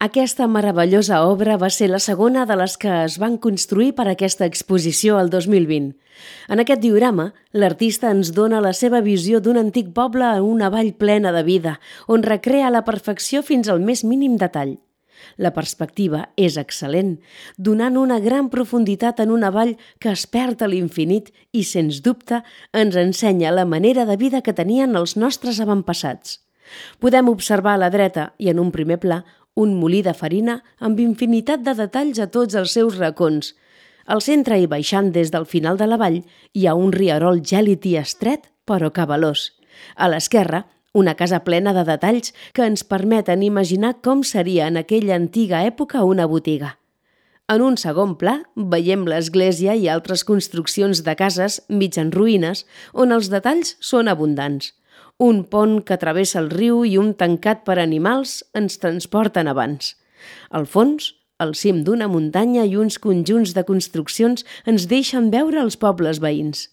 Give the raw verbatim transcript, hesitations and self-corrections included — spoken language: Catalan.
Aquesta meravellosa obra va ser la segona de les que es van construir per a aquesta exposició el dos mil vint. En aquest diorama, l'artista ens dona la seva visió d'un antic poble en una vall plena de vida, on recrea a la perfecció fins al més mínim detall. La perspectiva és excel·lent, donant una gran profunditat en una vall que es perd a l'infinit i, sens dubte, ens ensenya la manera de vida que tenien els nostres avantpassats. Podem observar a la dreta i en un primer pla un molí de farina amb infinitat de detalls a tots els seus racons. Al centre i baixant des del final de la vall hi ha un rierol gèlid i estret, però cabalós. A l'esquerra, una casa plena de detalls que ens permeten imaginar com seria en aquella antiga època una botiga. En un segon pla veiem l'església i altres construccions de cases mig en ruïnes on els detalls són abundants. Un pont que travessa el riu i un tancat per animals ens transporten abans. Al fons, al cim d'una muntanya i uns conjunts de construccions ens deixen veure els pobles veïns.